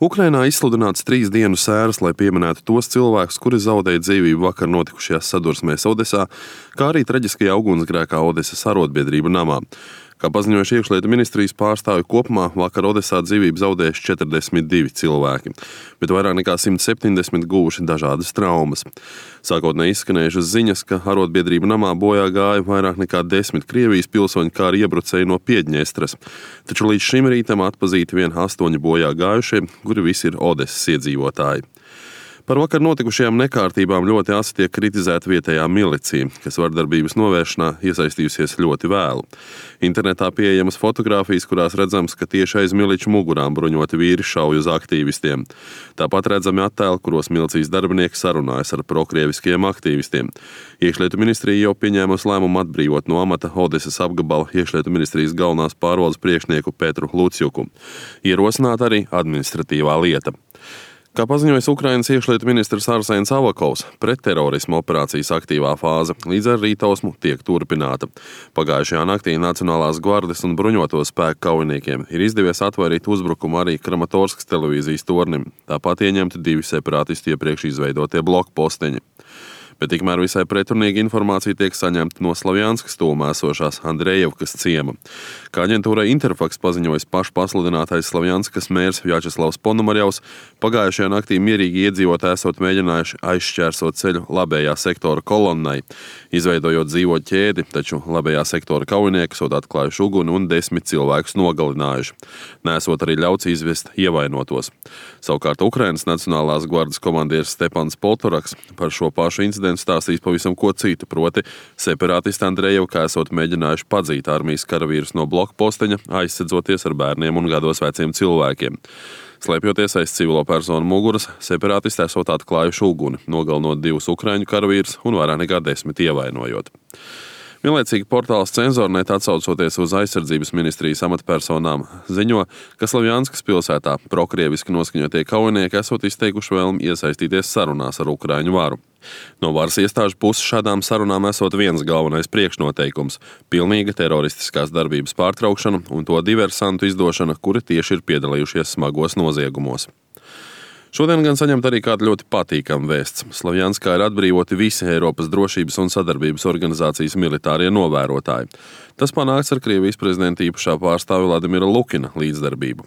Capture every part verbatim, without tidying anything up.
Ukrainā izsludināts trīs dienu sēras, lai pieminētu tos cilvēkus, kuri zaudēja dzīvību vakar notikušajās sadursmēs Odesā, kā arī traģiskajā ugunsgrēkā Odesas arotbiedrību namā. Kā paziņojuši iekšlietu ministrijas pārstāvji, kopumā vakar Odesā dzīvību zaudējuši četrdesmit divi cilvēki, bet vairāk nekā simt septiņdesmit guvuši dažādas traumas. Sākotnēji izskanējušas ziņas, ka arotbiedrību namā bojā gāja vairāk nekā desmit Krievijas pilsoņi, kā arī iebrucēji no Piedņestras. Taču līdz šim rītam atpazīti vien astoņi bojā gājušie, kuri visi ir Odesas iedzīvotāji. Par vakar notikušajām nekārtībām ļoti asi tiek kritizēta vietējā milicija, kas vardarbības novēršanā iesaistījusies ļoti vēlu. Internetā pieejamas fotogrāfijas, kurās redzams, ka tieši aiz miliču mugurām bruņoti vīri šauj uz aktīvistiem. Tāpat redzami attēli, kuros milicijas darbinieki sarunājas ar prokrieviskajiem aktīvistiem. Iekšlietu ministrija jau pieņēmusi lēmumu atbrīvot no amata Odesas apgabala iekšlietu ministrijas galvenās pārvaldes priekšnieku Petru Lucjuku. Ierosināt arī administratīvā lieta. Kā paziņojis Ukrainas iekšlietu ministrs Arsēns Avakovs, pretterorisma operācijas aktīvā fāze līdz ar rītausmu tiek turpināta. Pagājušajā naktī Nacionālās gvardes un bruņoto spēku kaujiniekiem ir izdevies atvairīt uzbrukumu arī Kramatorskas televīzijas tornim. Tāpat ieņemti divi separātisti iepriekš izveidotie blokposteņi. Bet tikmēr visai pretrunīga informācija tiek saņemta no Slavjanskas tuvumā esošās Andrejevkas ciema. Kā aģentūrai Interfaks paziņojis pašpasludinātais Slavjanskas mērs Vjačeslavs Ponomarjavs, pagājušajā naktī mierīgi iedzīvotāji esot mēģinājuši aizšķērsot ceļu labējā sektora kolonnai, izveidojot dzīvoļu ķēdi, taču labējā sektora kaujinieki esot atklājuši uguni un desmit cilvēkus nogalinājuši. Nesot arī ļauts izvest ievainotos. Savukārt Ukrainas Nacionālās gvardes komandieris Stepans Poltoraks par šo pašu incidentu stāstīs pavisam ko citu, proti separātisti Andrejevkā esot mēģinājuši padzīt armijas karavīrus no blokposteņa, aizsedzoties ar bērniem un gados veciem cilvēkiem. Slēpjoties aiz civilo personu muguras, separātisti esot atklājuši uguni, nogalinot divus ukraiņu karavīrus un vairāk nekā desmit ievainojot. Vienlaicīgi portāls Cenzornet, atsaucoties uz aizsardzības ministrijas amatpersonām, ziņo, ka Slavjanskas pilsētā prokrieviski noskaņotie kaujinieki esot izteikuši vēlmi iesaistīties sarunās ar Ukraiņu varu. No varas iestāžu puses šādām sarunām esot viens galvenais priekšnoteikums – pilnīga teroristiskās darbības pārtraukšana un to diversantu izdošana, kuri tieši ir piedalījušies smagos noziegumos. Šodien gan saņemt arī kādu ļoti patīkamu vēsts. Slavjanskā ir atbrīvoti visi Eiropas drošības un sadarbības organizācijas militārie novērotāji. Tas panākts ar Krievijas prezidenta īpašā pārstāvja Vladimira Lukina līdzdarbību.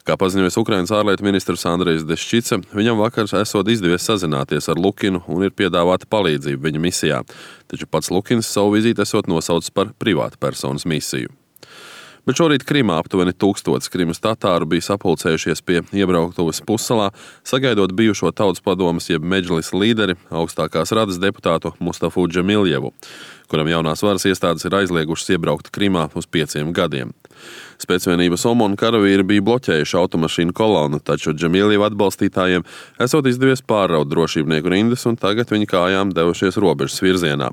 Kā paziņojis Ukrainas ārlietu ministrs Andrejs Deščice, viņam vakar esot izdevies sazināties ar Lukinu un ir piedāvāta palīdzība viņa misijā, taču pats Lukins savu vizīti esot nosaucis par privātu personas misiju. Bet šorīt Krimā aptuveni tūkstotis Krimas tatāru bija sapulcējušies pie iebrauktuves pussalā, sagaidot bijušo tautas padomes jeb Medžlis līderi, augstākās radas deputātu Mustafu Džemiljevu, kuram jaunās varas iestādes ir aizliegušas iebraukt Krimā uz pieciem gadiem. Spēcvienības Omona karavīri bija bloķējuši automašīnu kolonu, taču Džemiljeva atbalstītājiem esot izdevies pārraut drošībnieku rindas un tagad viņi kājām devušies robežas virzienā.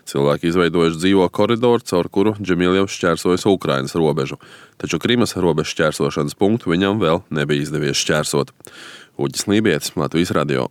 Cilvēki izveidojuši dzīvo koridoru, caur kuru Džemiljevs šķērsojas Ukrainas robežu, taču Krimas robežas šķērsošanas punktu viņam vēl nebija izdevies šķērsot. Uģis Lībietis, Latvijas radio.